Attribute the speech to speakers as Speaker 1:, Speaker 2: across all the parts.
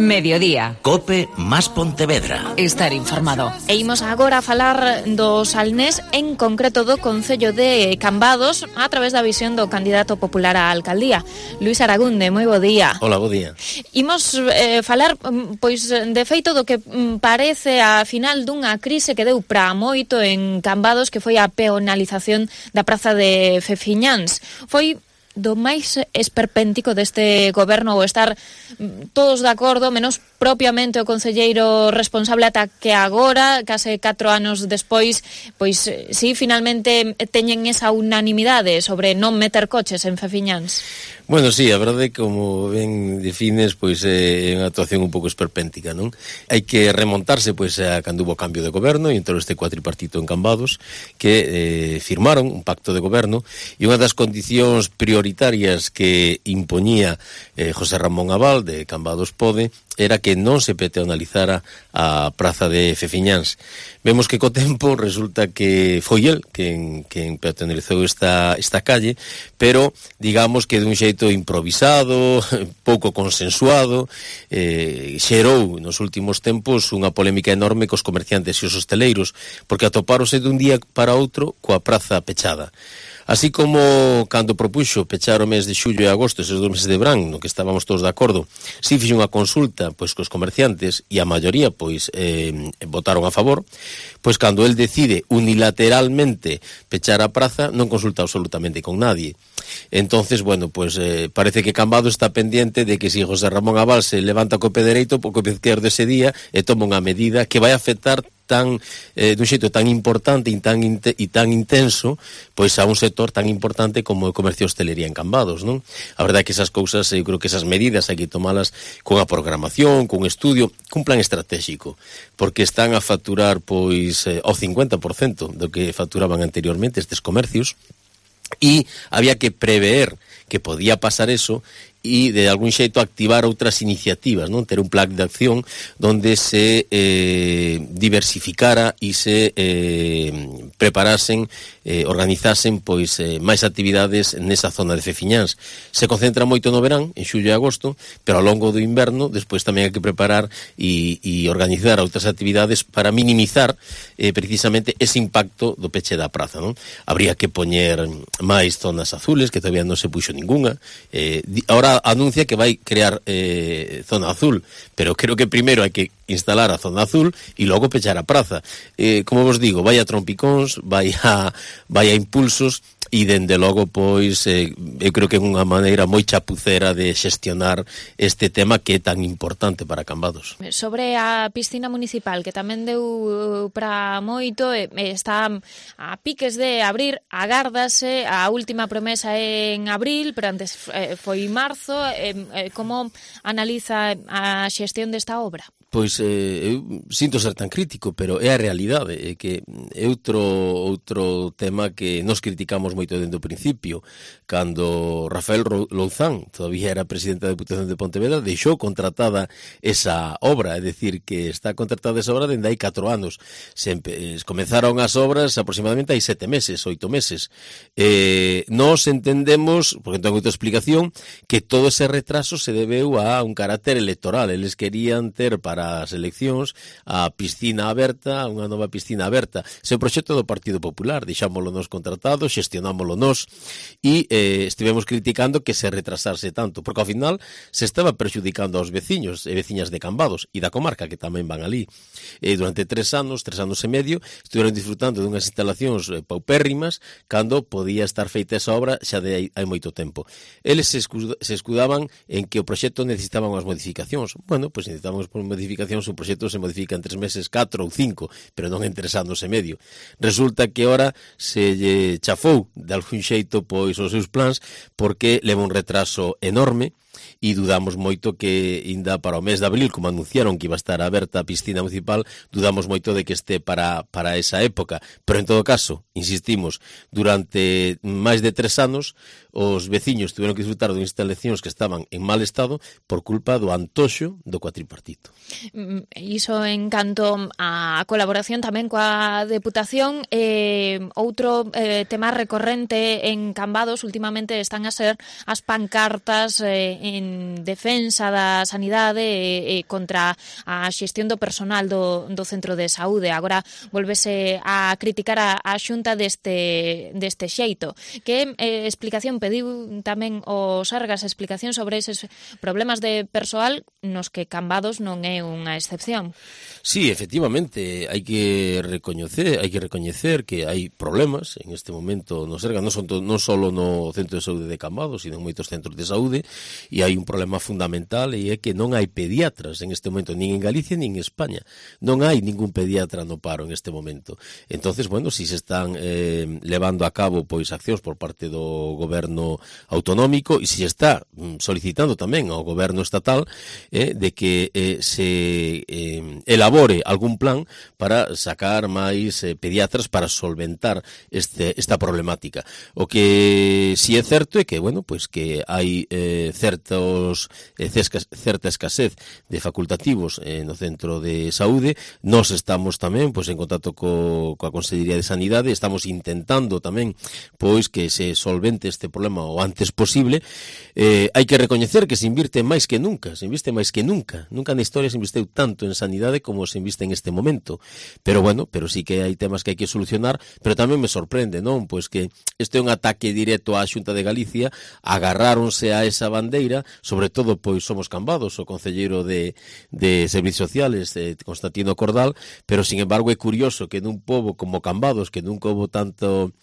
Speaker 1: Mediodía.
Speaker 2: Cope más Pontevedra.
Speaker 1: Estar informado.
Speaker 3: E imos agora a falar do Salnés, en concreto do Concello de Cambados, a través da visión do candidato popular á alcaldía, Luís Aragunde. Moi bo día.
Speaker 4: Hola, bo día.
Speaker 3: Imos falar, pois, de feito do que parece a final dunha crise que deu pra moito en Cambados, que foi a peonalización da praza de Fefiñáns. Foi do máis esperpéntico deste goberno, ou estar todos de acordo, menos propiamente o concelleiro responsable, ata que agora, case 4 anos despois, pois si finalmente teñen esa unanimidade sobre non meter coches en Fefiñáns.
Speaker 4: Bueno, sí, a verdade, como ben defines, pois é unha actuación un pouco esperpéntica, non? Hai que remontarse, pois, a cando hubo cambio de goberno e entrou este cuatripartito en Cambados, que firmaron un pacto de goberno, e unha das condicións prioritarias que impoñía José Ramón Abal, de Cambados Pode, era que non se peatonalizara a praza de Fefiñáns. Vemos que co tempo resulta que foi el quen peatonalizou esta calle, pero digamos que dun xeito improvisado, pouco consensuado, xerou nos últimos tempos unha polémica enorme cos comerciantes e os hosteleiros, porque atopárose dun día para outro coa praza pechada. Así como cando propuxo pechar o mes de xullo e agosto, eses 2 meses de verán, no que estábamos todos de acordo, si fixo unha consulta pois cos comerciantes e a maioría pois votaron a favor, pois cando el decide unilateralmente pechar a praza non consulta absolutamente con nadie. Entonces, bueno, pues parece que Cambados está pendiente de que si José Ramón Abal se levanta co pé dereito, co pé izquierdo ese día e toma unha medida que vai afectar dun xeito tan importante e tan intenso, pois a un sector tan importante como o comercio e hostelería en Cambados, non? A verdade é que esas cousas, eu creo que esas medidas hai que tomalas con a programación, con estudio, cun plan estratégico, porque están a facturar pois ao 50% do que facturaban anteriormente estes comercios, e había que prever que podía pasar eso e de algún xeito activar outras iniciativas, non? Ter un plan de acción donde se diversificara e se preparasen, organizasen pois máis actividades nesa zona de Fefiñáns. Se concentra moito no verán, en xullo e agosto, pero ao longo do inverno despois tamén hai que preparar e organizar outras actividades para minimizar precisamente ese impacto do peche da praza, non? Habría que poñer máis zonas azules, que todavía non se puxo ninguna. Ahora anuncia que vai crear zona azul, pero creo que primeiro hai que instalar a zona azul e logo pechar a praza. Como vos digo, vai a trompicóns, vai a impulsos, e dende logo, pois, eu creo que é unha maneira moi chapucera de xestionar este tema que é tan importante para Cambados.
Speaker 3: Sobre a piscina municipal, que tamén deu para moito, está a piques de abrir, agárdase, a última promesa en abril, pero antes foi marzo. Como analiza a xestión desta obra?
Speaker 4: Pois eu sinto ser tan crítico, pero é a realidade, é que é outro tema que nos criticamos moito dende o principio. Cando Rafael Louzán todavía era presidente da Deputación de Pontevedra, deixou contratada esa obra, é dicir, que está contratada esa obra dende hai 4 anos. Comenzaron as obras aproximadamente hai 7 meses, 8 meses. Nos entendemos, porque non ten outra explicación, que todo ese retraso se debeu a un carácter electoral. Eles querían ter para as eleccións a piscina aberta, unha nova piscina aberta. Ese proxecto do Partido Popular, deixámoslo nos contratado, xestionámoslo nos e estivemos criticando que se retrasarse tanto, porque ao final se estaba perxudicando aos veciños e veciñas de Cambados e da comarca, que tamén van ali. Durante 3 anos e medio, estiveron disfrutando dunhas instalacións paupérrimas cando podía estar feita esa obra xa de hai moito tempo. Eles se escudaban en que o proxecto necesitaban unhas modificacións. Bueno, pois necesitamos modificacións, o proxecto se modifica en 3 meses, 4 ou 5, pero non en 3 anos e medio. Resulta que ora se lle chafou de algún xeito pois os seus plans, porque leva un retraso enorme e dudamos moito que ainda para o mes de abril, como anunciaron que iba a estar aberta a piscina municipal, dudamos moito de que este para esa época. Pero en todo caso, insistimos, durante máis de 3 anos os veciños tiveron que disfrutar de instalacións que estaban en mal estado por culpa do antoxo do cuatripartito.
Speaker 3: Iso en canto a colaboración tamén coa Deputación. Outro tema recorrente en Cambados últimamente están a ser as pancartas en defensa da sanidade e contra a xestión do personal do centro de saúde. Agora volvese a criticar a Xunta deste xeito. Que explicación pediu tamén o Sergas, explicación sobre eses problemas de persoal nos que Cambados non é unha excepción.
Speaker 4: Sí, efectivamente, hai que recoñecer que hai problemas en este momento no Sergas, non só no Centro de Saúde de Cambados, sino en moitos centros de saúde, e hai un problema fundamental, e é que non hai pediatras en este momento, nin en Galicia nin en España. Non hai ningún pediatra no paro en este momento. Entonces, bueno, si se están levando a cabo pois accións por parte do goberno autonómico, e si se está solicitando tamén ao goberno estatal de que se elabore algún plan para sacar máis pediatras para solventar esta problemática. O que si é certo é que, bueno, pois que hai certa escasez de facultativos no centro de saúde. Nós estamos tamén pois en contacto coa Consellería de Sanidade, estamos intentando tamén pois que se solvente este problema o antes posible. Hai que recoñecer que se inviste máis que nunca, nunca na historia se investeu tanto en sanidade como se inviste en este momento. Pero bueno, sí que hai temas que hai que solucionar, pero tamén me sorprende, non? Pois que este é un ataque directo á Xunta de Galicia, agarráronse a esa bandeira, sobre todo pois somos Cambados, o concelleiro de Servicios Sociales, Constantino Cordal, pero sin embargo é curioso que nun pobo como Cambados, que nunca houve tanto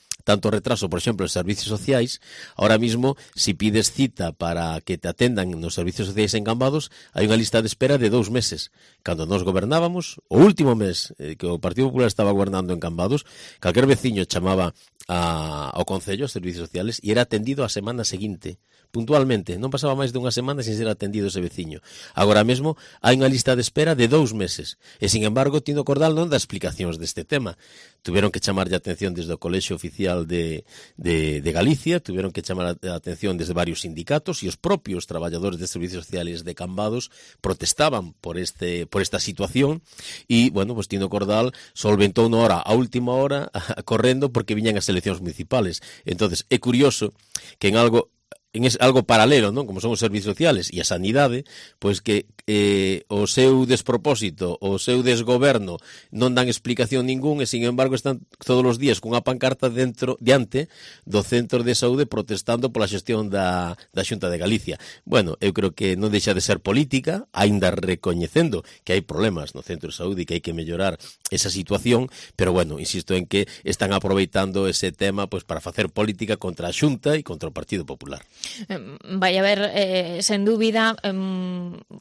Speaker 4: retraso, por exemplo, en servicios sociais, ahora mismo, si pides cita para que te atendan nos servicios sociais en Cambados, hai unha lista de espera de 2 meses. Cando nós gobernábamos, o último mes que o Partido Popular estaba gobernando en Cambados, calquer veciño chamaba ao Concello, aos servicios sociales, e era atendido a semana seguinte, puntualmente. Non pasaba máis de unha semana sin ser atendido ese veciño. Agora mesmo hai unha lista de espera de 2 meses. E, sin embargo, Tino Cordal non dá explicacións deste tema. Tuvieron que chamarlle a atención desde o Colexio Oficial de Galicia, tuvieron que chamar a atención desde varios sindicatos, e os propios traballadores de servicios sociales de Cambados protestaban por esta situación, e, bueno, pues Tino Cordal solventou unha hora, a última hora, correndo porque viñan as eleccións municipales. Entonces, é curioso que en algo paralelo, non? Como son os servicios sociales e a sanidade, pois que o seu despropósito, o seu desgoberno non dan explicación ningún, e sin embargo están todos os días cunha pancarta diante do centro de saúde protestando pola xestión da Xunta de Galicia. Bueno, eu creo que non deixa de ser política, aínda recoñecendo que hai problemas no centro de saúde e que hai que mellorar esa situación, pero bueno, insisto en que están aproveitando ese tema pois para facer política contra a Xunta e contra o Partido Popular.
Speaker 3: Vai haber, sen dúbida,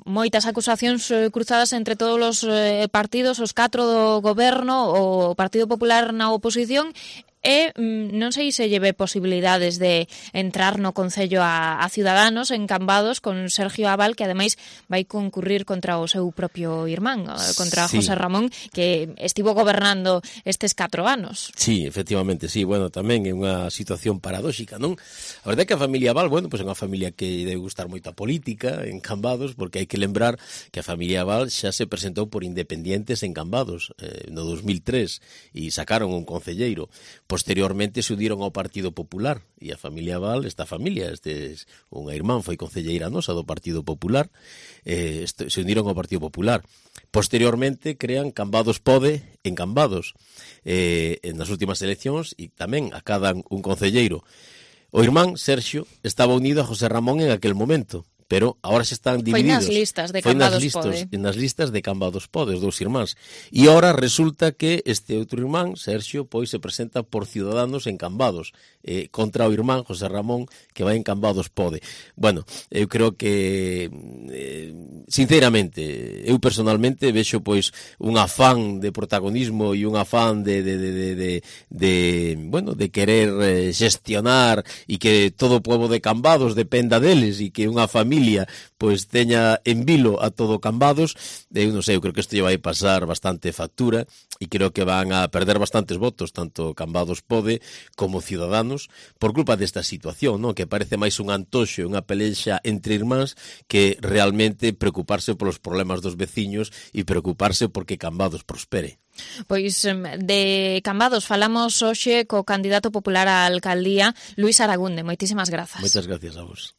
Speaker 3: moitas acusacións cruzadas entre todos os partidos, os 4 do goberno, o Partido Popular na oposición, e non sei se lleve posibilidades de entrar no Concello a Ciudadanos en Cambados con Sergio Abal, que ademais vai concurrir contra o seu propio irmán, contra José Ramón, que estivo gobernando estes 4 anos.
Speaker 4: Sí, efectivamente, sí, bueno, tamén é unha situación paradóxica, non? A verdade é que a familia Abal, bueno, pois é unha familia que debe gustar moito a política en Cambados, porque hai que lembrar que a familia Abal xa se presentou por independientes en Cambados no 2003 e sacaron un concelleiro. Posteriormente se uniron ao Partido Popular, e a familia Abal, unha irmán foi concelleira nosa do Partido Popular, se uniron ao Partido Popular. Posteriormente crean Cambados Pode en Cambados nas últimas eleccións, e tamén acadan un concelleiro. O irmán Sergio estaba unido a José Ramón en aquel momento, pero agora se están divididos.
Speaker 3: Foi nas listas de Cambados Pode.
Speaker 4: Nas listas de Cambados Pode, os 2 irmáns. E agora resulta que este outro irmán, Sergio, pois se presenta por Ciudadanos en Cambados, contra o irmán José Ramón, que vai en Cambados Pode. Bueno, eu creo que, sinceramente, eu personalmente vexo pois un afán de protagonismo e un afán de querer gestionar e que todo o pobo de Cambados dependa deles, e que unha familia pois teña en vilo a todo Cambados. Eu non sei, eu creo que isto lle vai pasar bastante factura, e creo que van a perder bastantes votos, tanto Cambados Pode como Ciudadanos, por culpa desta situación, non? Que parece máis un antoxo, unha pelexa entre irmáns, que realmente preocuparse polos problemas dos veciños e preocuparse porque Cambados prospere.
Speaker 3: Pois de Cambados falamos hoxe co candidato popular á alcaldía, Luís Aragunde. Moitísimas grazas.
Speaker 4: Moitas gracias a vos.